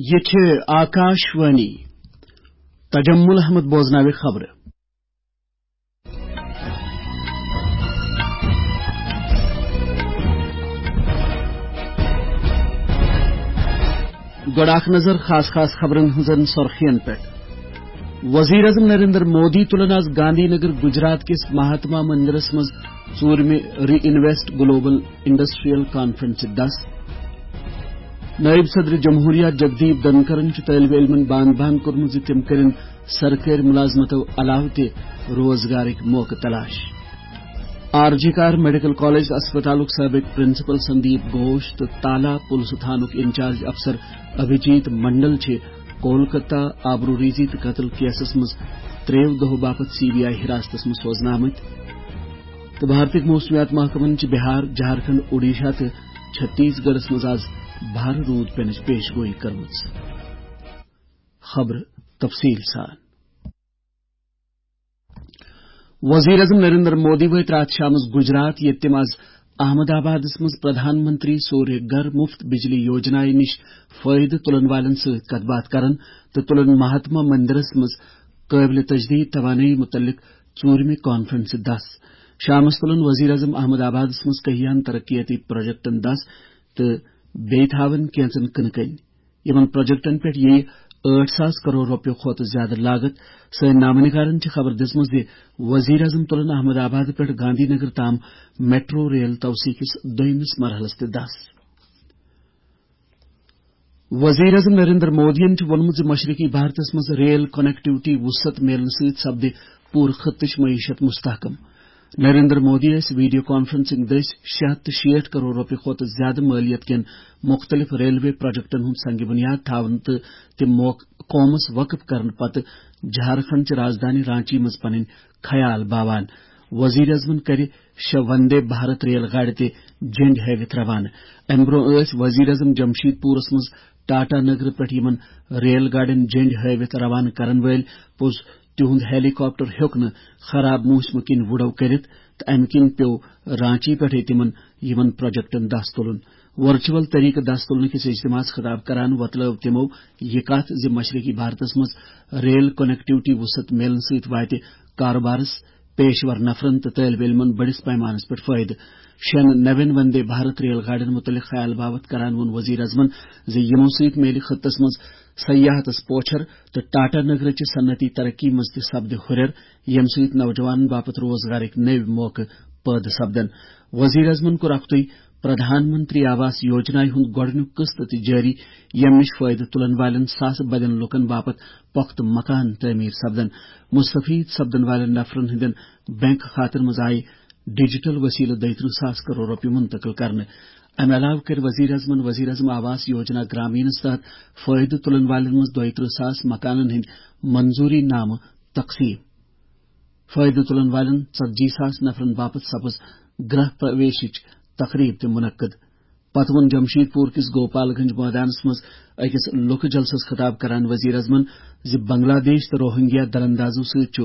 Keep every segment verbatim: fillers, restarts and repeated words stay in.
یہ چھِ آکاش وانی۔ تجمل احمد بوزناوِ خبرٕ۔ گۄڈٕ اکھ نظر خاص خاص خبرن ہٕنٛزن سرخین پٮ۪ٹھ۔ وزیر اعظم نریندر مودی تُلن آز گاندھی نگر گجرات کِس مہاتما مندرس منٛز ژوٗرمہِ ری انویسٹ گلوبل انڈسٹریل کانفرنسہِ دس۔ نائب صدر جمہوریہ جگدیپ دھنکرن چھُ طٲلبہِ علمن بان بان کوٚرمُت زِ تِم کٔرِن سرکٲرۍ مُلازمتو علاوٕ تہِ روزگارٕکۍ موقعہٕ تلاش۔ آر جی کار میڈیکل کالج تہٕ اسپتالُک سابق پرنسپل سندیپ گھوش تہٕ تالا پُلسہٕ تھانُک انچارج افسر ابھیجیت منڈل چھِ کولکتہ آبروریزی تہٕ قتل کیسس منٛز ترٛیٚیو دۄہو باپتھ سی بی آئی حراستس منٛز سوزنہٕ آمٕتۍ۔ تہٕ بھارتٕکۍ موسمیات محکمن چھِ بہار، جھارکھنڈ، اوڈیشہ تہٕ چھتیس گڑھس منٛز آز بھارٕ روٗد پینٕچ پیش گویی کٔرمٕژ۔ خبرٕ تفصیل سان۔ وزیر اعظم نریندر مودی وٲتۍ راتھ شامس گجرات، ییٚتہِ تِم آز احمد آبادس منٛز پردھان منتری سوریہ گھر مفت بجلی یوجنا نِش فٲیدٕ تُلن والٮ۪ن سۭتۍ کتھ باتھ کرن تہٕ تُلن مہاتما مندرس منٛز قٲبلِ تجدید توانٲیی مُتعلق ژوٗرمہِ کانفرنسہِ دس۔ شامس تُلن وزیر اعظم احمد آبادس منٛز کہیاہن ترقیتی پروجیکٹن دس تہٕ بیٚیہِ تھاون کینژن کٕنہٕ کنۍ۔ یِمن پروجیکٹن پٮ۪ٹھ یِیہِ ٲٹھ ساس کرور رۄپیہِ کھۄتہٕ زیادٕ لاگت۔ سٲنۍ نامہ نگارن چھِ خبر دِژمٕژ زِ وزیر اعظم تُلن احمد آباد پٮ۪ٹھ گاندھی نگر تام میٹرو ریل توسیع کِس دوٚیمِس مرحلس تہِ دس۔ وزیر اعظم نریندر مودیَن چھُ ووٚنمُت زِ مشرقی بھارتس منٛز ریل کنیکٹیوٹی وسعت میلنہٕ سۭتۍ سپدِ پوٗرٕ خطٕچ معیشت مستحکم۔ نریندر مودی ٲسۍ ویڈیو کانفرنسنگ دٔسۍ شےٚ ہتھ تہٕ شیٹھ کرور رۄپیہِ کھۄتہٕ زیادٕ مٲلیت کٮ۪ن مُختٔلِف ریلوے پروجیکٹن ہُنٛد سنگ بنیاد تھاوان تہٕ تِم موقعہٕ قومس وقف کرنہٕ پتہٕ جھارکھنڈ چہِ رازدانی رانچی منٛز پنٕنۍ خیال باوان۔ وزیر اعظمن کرِ شےٚ وندے بھارت ریل گاڑِ تہِ جنڈ ہٲوِتھ روانہٕ۔ امہِ برونٛہہ ٲسۍ وزیر اعظم جمشید پورس منٛز ٹاٹا نگرٕ پٮ۪ٹھ یِمن ریل گاڑٮ۪ن جنڈ ہٲوِتھ روانہٕ کرن وٲلۍ پوٚز تِہُنٛد ہیلی کاپٹر ہیوٚک نہٕ خراب موسمہٕ کِنۍ وُڈو کٔرِتھ تہٕ امہِ کِنۍ پیوٚو رانچی پٮ۪ٹھے تِمن یِمن پروجیکٹن دس تُلُن۔ ورچوئل طریقہٕ دس تُلنہٕ کِس اجتماعس خطاب کران وۄتلٲو تِمو یہِ کتھ زِ مشرقی بھارتس منٛز ریل کنیکٹیوٹی وسعت میلنہٕ سۭتۍ واتہِ کارٕبارس، پیشور نفرن تہٕ طٲلبہِ علمن بٔڑِس پیمانس پٮ۪ٹھ فٲیدٕ۔ شٮ۪ن نوٮ۪ن وندے بھارت ریل گاڑٮ۪ن مُتعلق خیال باوتھ کران ووٚن وزیر اعظمن زِ یِمو سۭتۍ میلہِ خطس منٛز سیاحتس پوچھر تہٕ ٹاٹا نگرٕچہِ صنعتی ترقی منٛز تہِ سپدِ ہُرٮ۪ر، ییٚمہِ سۭتۍ نوجوانن باپتھ روزگارٕکۍ نٔوۍ موقعہٕ پٲدٕ سپدن۔ وزیر اعظمن کوٚر اکھتُے پردھان منتری آواس یوجنا ہُنٛد گۄڈٕنیُک قسط تہِ جٲری، ییٚمہِ نِش فٲیدٕ تُلن والٮ۪ن ساسہٕ بٔدٮ۪ن لوٗکن باپتھ پۄختہٕ مکان تعمیٖر سپدن۔ مستفید سپدن والٮ۪ن نفرن ہٕنٛدٮ۪ن بینک کھاتن منٛز آیہِ ڈیجیٹل وسیلہٕ دۄیہِ ترٕٛہ ساس کرور رۄپیہِ منتقل کرنہٕ۔ امہِ علاوٕ کٔرۍ وزیر اعظمن وزیر اعظم آواس یوجنا گرامینس تحت فٲیدٕ تُلن والٮ۪ن منٛز دۄیہِ ترٕٛہ ساس مکانن ہٕنٛدۍ منظوٗری نامہٕ تقسیٖم۔ فٲیدٕ تُلن والٮ۪ن ژتجی ساس نفرن باپتھ سپٕز گرہ پرویشٕچ تقریب تہِ منعقد۔ پتہٕ ووٚن جمشید پور کِس گوپال گنج مٲدانس منٛز أکِس لُکہٕ جلسس خطاب کران وزیر اعظمن زِ بنگلہ دیش تہٕ روہنگیا دراندازو سۭتۍ چھُ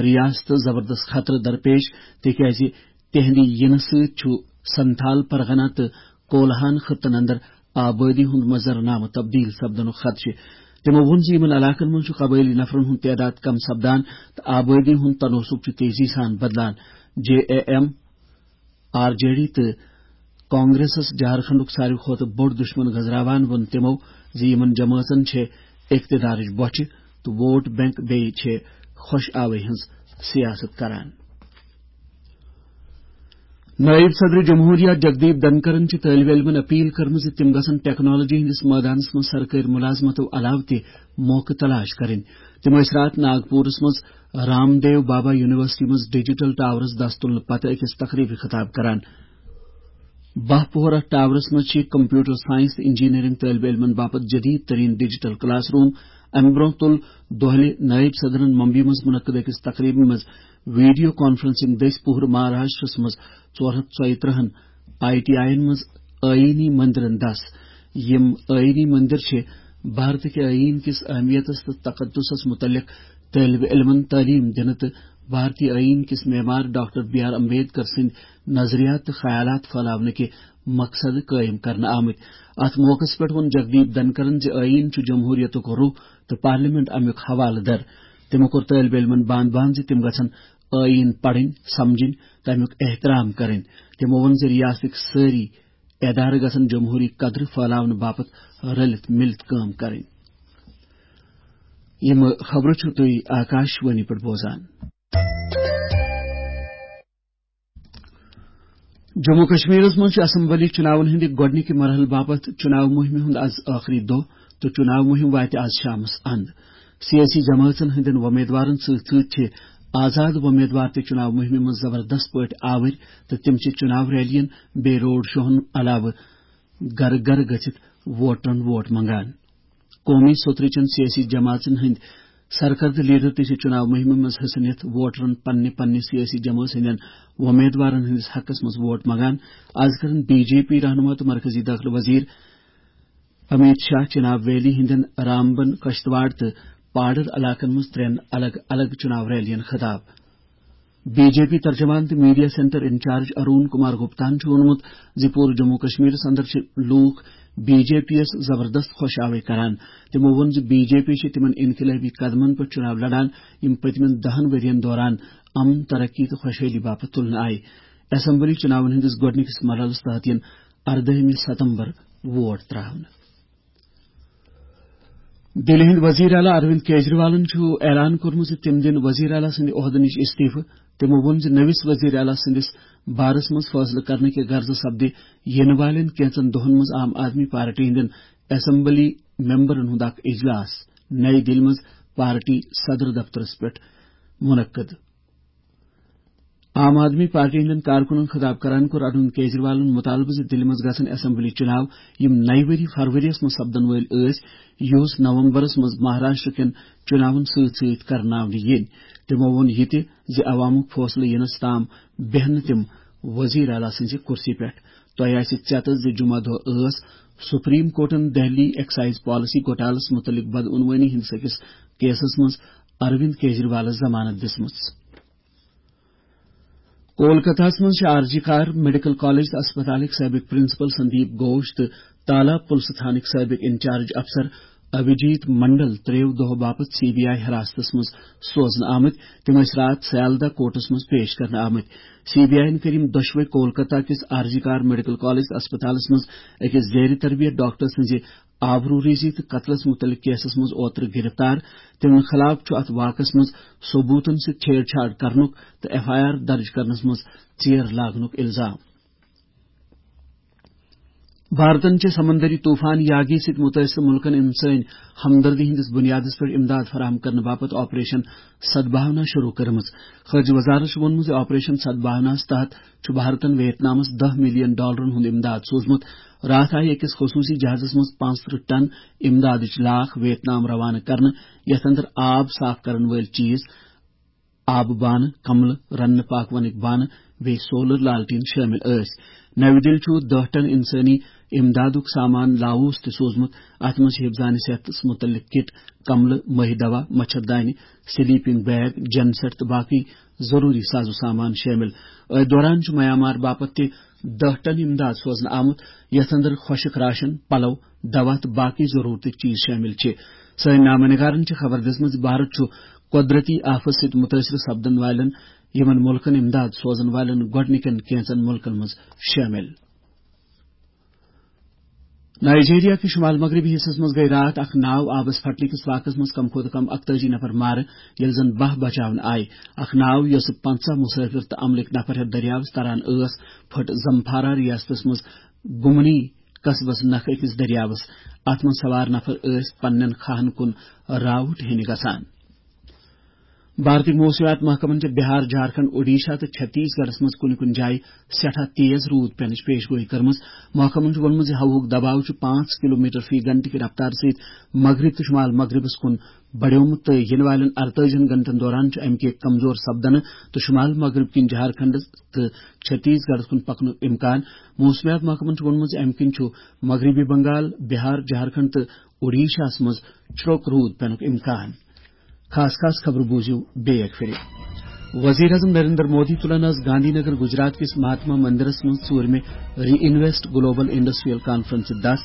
ریاستس زبردست خطرٕ درپیش، تِکیازِ تِہنٛدِ یِنہٕ سۭتۍ چھُ سنتھال پرگنہ تہٕ کولہان خطن اندر آبٲدی ہُنٛد منظرنامہٕ تبدیل سپدنُک خدشہٕ۔ تِمو ووٚن زِ یِمن علاقن منٛز چھُ قبٲئلی نفرن ہُنٛد تعداد کم سپدان تہٕ آبٲدی ہُنٛد تناسب چھُ تیزی سان بدلان۔ J A M, R J D تہٕ کانگریسس جھارکھنڈُک ساروی کھۄتہٕ بوٚڑ دشمن گنزراوان ووٚن تِمو زِ یِمن جمٲژن چھِ اقتدارٕچ بۄچھِ تہٕ ووٹ بینک، بیٚیہِ چھِ خۄش آوے ہٕنٛز سیاست کران۔ نائب صدر جمہوریہ جگدیپ دھنکرن چھِ طٲلبہِ علمن اپیل کٔرمٕژ زِ تِم گژھن ٹیکنالوجی ہٕنٛدِس مٲدانس منٛز سرکٲرۍ مُلازمتو علاوٕ تہِ موقعہٕ تلاش کرٕنۍ۔ تِم ٲسۍ راتھ ناگپورس منٛز رام دیو بابا یونیورسٹی منٛز ڈیجیٹل ٹاورس دس تُلنہٕ پتہٕ أکِس تقریبہِ خطاب کران۔ باہ پوہرہ ٹاورس منٛز چھِ کمپیوٹر سائنس تہٕ انجینئرنگ طٲلبہِ علمن باپتھ جدید ترین ڈیجیٹل کلاس روم۔ امہِ برونٛہہ تُل دۄہلہِ نائب صدرن ممبئی منٛز منعقد أکِس تقریبہِ منٛز ویڈیو کانفرنسنگ دٔسۍ پوہرٕ مہاراشٹرس منٛز ژور ہتھ ژۄیہِ ترٕٛہن آئی ٹی آئین منٛز آئینی مندرن دس۔ یِم آئینی مندر چھِ بھارتٕکہِ آئین کِس اہمیتس تہٕ تقدسس متعلق طٲلبہِ علمن تعلیٖم دِنہٕ تہٕ بھارتی آئین کِس معمار ڈاکٹر بی آر امبیڈکر سٕنٛدۍ نظریات تہٕ خیالات پھٔہلاونہٕ کہِ مقصد قٲیِم کرنہٕ آمٕتۍ۔ اتھ موقعس پٮ۪ٹھ ووٚن جگدیپ دھنکرن زِ ٲییٖن چھُ جمہوٗریتُک روح تہٕ پارلیمنٹ امیُک حوالہٕ در۔ تِمو کوٚر طٲلبہِ علمن باند باند زِ تِم گژھن ٲییٖن پرٕنۍ، سمجھٕنۍ تہٕ امیُک احترام کرٕنۍ۔ تِمو ووٚن زِ ریاستٕکۍ سٲری ادارٕ گژھن جمہوٗری قدرٕ پھٔہلاونہٕ باپتھ رٔلِتھ مِلِتھ کٲم کرٕنۍ۔ یِم خبرٕ چھِو تُہۍ آکاش وانی پٮ۪ٹھ بوزان۔ جموں کشمیرس منٛز چھُ اسمبلی چُناون ہٕنٛدِ گۄڈٕنِکہِ مرحلہٕ باپتھ چُناو مُہِمہِ ہُنٛد از ٲخری دۄہ تہٕ چُناو مُہِم واتہِ از شامس اند۔ سیٲسی جمٲژن ہٕنٛدٮ۪ن وۄمیدوارن سۭتۍ سۭتۍ چھِ آزاد وۄمیدوار تہِ چُناو مُہِمہِ منٛز زبردست پٲٹھۍ آوٕرۍ تہٕ تِم چھِ چُناو ریلین بیٚیہِ روڈ شوہن علاوٕ گرٕ گرٕ گٔژھِتھ ووٹرن ووٹ منگان۔ قومی سوترٕ چٮ۪ن سیٲسی جماژن ہٕنٛدۍ سرکردٕ لیڈر تہِ چھِ چُناو مُہِمہِ منٛز حصہٕ نِتھ ووٹرن پننہِ پننہِ سیٲسی جمٲژ ہٕنٛدٮ۪ن وۄمیدوارن ہٕنٛدِس حقس منٛز ووٹ منگان۔ از کرن بی جے پی رہنما تہٕ مرکزی دٲخلہٕ وزیر امیت شاہ چناب ویلی ہٕنٛدٮ۪ن رامبن، کشتواڑ تہٕ پاڈر علاقن منٛز ترٛٮ۪ن الگ الگ چُناو ریلین خطاب۔ بی جے پی ترجمان تہٕ media centre incharge Arun Kumar گپتاہن چھُ ووٚنمُت زِ پوٗرٕ جموں کشمیرس اندر چھِ لوٗکھ بی جے پی یس زبردست خۄش آوے کران۔ تِمو ووٚن زِ بی جے پی چھِ تِمن انقلٲبی قدمن پٮ۪ٹھ چُناو لڑان، یِم پٔتمٮ۪ن دَہن ؤرین دوران امن، ترقی تہٕ خۄشحٲلی باپتھ تُلنہٕ آیہِ۔ اسمبلی چُناون ہٕنٛدِس گۄڈٕنِکِس مرحلس تحت یِن اردٲہمہِ ستمبر ووٹ ترٛاونہٕ۔ دِلہِ ہٕنٛدۍ وزیر اعلیٰ اروند کیجریوالن چھُ اعلان کوٚرمُت زِ تِم دِن وزیر اعلیٰ سٕنٛدِ عہدٕ نِش استعفہٕ۔ تِمو ووٚن زِ نٔوِس وزیر اعلیٰ سٕنٛدِس بارس منٛز فٲصلہٕ کرنہٕ کہِ غرضہٕ سپدِ یِنہٕ والٮ۪ن کینٛژن دۄہن منٛز عام آدمی پارٹی ہٕنٛدٮ۪ن اسمبلی ممبرن ہُنٛد اکھ اجلاس نئی دِلہِ منٛز پارٹی صدر دفترس پٮ۪ٹھ منعقد۔ عام آدمی پارٹی ہٕنٛدٮ۪ن کارکُنن خطاب کران کوٚر اروند کیجریوالن مطالبہٕ زِ دِلہِ منٛز گژھن اسمبلی چُناو، یِم نَیہِ ؤری فروری یَس منٛز سپدن وٲلۍ ٲسۍ، یُس نومبرس منٛز مہاراشٹر کٮ۪ن چُناون سۭتۍ سۭتۍ کرناونہٕ یِن۔ تِمو ووٚن یہِ تہِ زِ عوامُک فٲصلہٕ یِنس تام بیہن نہٕ تِم وزیر اعلیٰ سٕنٛزِ کُرسی پٮ۪ٹھ۔ تۄہہِ آسہِ ژیتس زِ جمعہ دۄہ ٲس سپریم کورٹن دہلی ایکسائز پالیسی گھوٹالس متعلق بدعنوانی ہٕنٛدِس أکِس کیسس منٛز اروند کیجریوالس ضمانت دِژمٕژ۔ کولکتہس منٛز چھِ آر جی کار میڈیکل کالج تہٕ اسپتالٕکۍ سٲبق پرنسپل سندیپ گھوش تہٕ تالاب پُلسہٕ تھانٕکۍ سٲبق انچارج افسر ابھیجیت منڈل ترٛیٚیو دۄہو باپتھ سی بی آئی حراستس منٛز سوزنہٕ آمٕتۍ۔ تِم ٲسۍ راتھ سیالدہ کورٹس منٛز پیش کرنہٕ آمٕتۍ۔ سی بی آئی یَن کٔرۍ یِم دۄشوے کولکتہ کِس آر جی کار میڈیکل کالج تہٕ اسپتالس منٛز أکِس زیر تربیت ڈاکٹر سٕنٛزِ آبروریزی تہٕ قتلس متعلق کیسس منٛز اوترٕ گرفتار۔ تِمن خلاف چھُ اتھ واقعس منٛز ثبوتن سۭتۍ چھیڑ چھاڑ کرنُک تہٕ ایف آئی آر درج کرنس منٛز ژیر لاگنُک الزام۔ بھارتن چھِ سمندری طوفان یاگی سۭتۍ مُتٲثر مُلکن اِنسٲنی ہمدردی ہٕنٛدِس بُنیادس پٮ۪ٹھ امداد فراہم کرنہٕ باپتھ آپریشن سدبھاونا شروع کٔرمٕژ۔ خارجہ وزارت چھُ ووٚنمُت زِ آپریشن سدبھاوناہس تحت چھُ بھارتن ویتنامس دَہ ملین ڈالرن ہُنٛد امداد سوٗزمُت۔ راتھ آیہِ أکِس خصوٗصی جہازس منٛز پانٛژترٕہ ٹن امدادٕچ لاکھ ویتنام روانہٕ کرنہٕ، یتھ اندر آب صاف کرن وٲلۍ چیز، آبہٕ بانہٕ، کملہٕ، رننہٕ پاکونٕکۍ بانہٕ، بیٚیہِ سولر لالٹین شٲمِل ٲسۍ۔ نَوِ دِلہِ چھُ دَہ ٹن انسٲنی امدادُک سامان لاووس تہِ سوٗزمُت۔ اتھ منٛز چھِ حفظان صحتس متعلق کٹ، کملہٕ، مٔہۍ دوا، مچھردانہِ، سلیپنگ بیگ، جنسیٹ تہٕ باقٕے ضروٗری ساز و سامان شٲمِل۔ أتھۍ دوران چھُ میانمار باپتھ تہِ دَہ ٹن امداد سوزنہٕ آمُت، یتھ اندر خۄشک راشن، پلو، دوا تہٕ باقٕے ضروٗرتٕکۍ چیز شٲمِل چھِ۔ سٲنۍ نامہ نگارن چھِ خبر دِژمٕژ زِ بھارت چھُ قۄدرتی آفت سۭتۍ مُتٲثر سپدن والٮ۪ن یِمن مُلکن امداد سوزن والٮ۪ن گۄڈٕنِکٮ۪ن کینٛژن مُلکن منٛز شٲمِل۔ نائیجیریا کِس شمال مغربی حصس منٛز گٔیہِ راتھ اکھ ناو آبس پھٹنہٕ کِس واقعس منٛز کم کھۄتہٕ کم اکتٲجی نفر مارٕ، ییٚلہِ زن باہ بچاونہٕ آیہِ۔ اکھ ناو، یۄسہٕ پنٛژاہ مسافر تہٕ عملٕکۍ نفر ہٮ۪تھ دٔریاوس تران ٲس، پھٔٹ زمفارا ریاستس منٛز گمنی قصبس نکھٕ أکِس دٔریاوس۔ اتھ منٛز سوار نفر ٲسۍ پننٮ۪ن کھاہن کُن راوُٹ ہینہِ گژھان۔ بھارتی موسمیات محکمن چھِ بہار، جھارکھنڈ، اوڈیشہ تہٕ چھتیس گڑھس منٛز کُنہِ کُنہِ جایہِ سٮ۪ٹھاہ تیز روٗد پینٕچ پیش گویی کٔرمٕژ۔ محکمن چھُ ووٚنمُت زِ ہوہُک دباو چھُ پانٛژھ کلومیٹر فی گھنٹہٕ کہِ رفتارٕ سۭتۍ مغرب تہٕ شمال مغربس کُن بڑیومُت تہٕ یِنہٕ والٮ۪ن ارتٲجی ہن گھنٹن دوران چھُ امہِ کہِ کمزور سپدنہٕ تہٕ شمال مغرب کِنۍ جھارکھنڈ تہٕ چھتیس گڑھس کُن پکنُک امکان۔ موسمیات محکمن چھُ ووٚنمُت زِ امہِ کِنۍ چھُ مغربی بنگال، بہار، جھارکھنڈ تہٕ اوڈیشاہس منٛز چھرٛوک روٗد پینُک امکان۔ خاص خاص خبرٕ بوٗزِو بیٚیہِ اکہِ پھِرِ۔ وزیر اعظم نریندر مودی تُلن آز گاندھی نگر گجرات کِس مہاتما مندرس منٛز ژوٗرمہِ ری انویسٹ گلوبل انڈسٹریل کانفرنسہِ دَس۔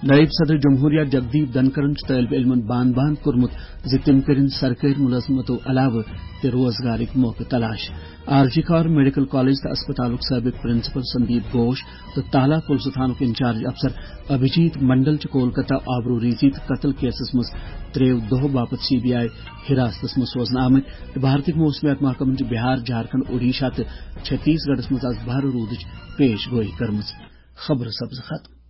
نائب صدر جمہوریہ جگدیپ دھنکرن چھُ طٲلبہِ علمن بان بان کوٚرمُت زِ تِم کٔرِن سرکٲرۍ مُلٲزمتو علاوٕ تہِ روزگارٕکۍ موقعہٕ تلاش۔ آر جی کار میڈیکل کالج تہٕ اسپتالُک سٲبق پرنسپل سندیپ گھوش تہٕ تالا پُلسہٕ تھانُک انچارج افسر ابھیجیت منڈل چھِ کولکتہ آبروٗ ریزی تہٕ قتل کیسس منٛز ترٛیٚیو دۄہو باپتھ سی بی آئی حراستس منٛز سوزنہٕ آمٕتۍ۔ تہٕ بھارتٕکۍ موسمیات محکمن چھِ بہار، جھارکھنڈ، اوڈیشہ تہٕ چھتیس گڑھس منٛز آز بھارٕ روٗدٕچ پیش گویی کٔرمٕژ۔ خبرٕ سپزٕ ختم۔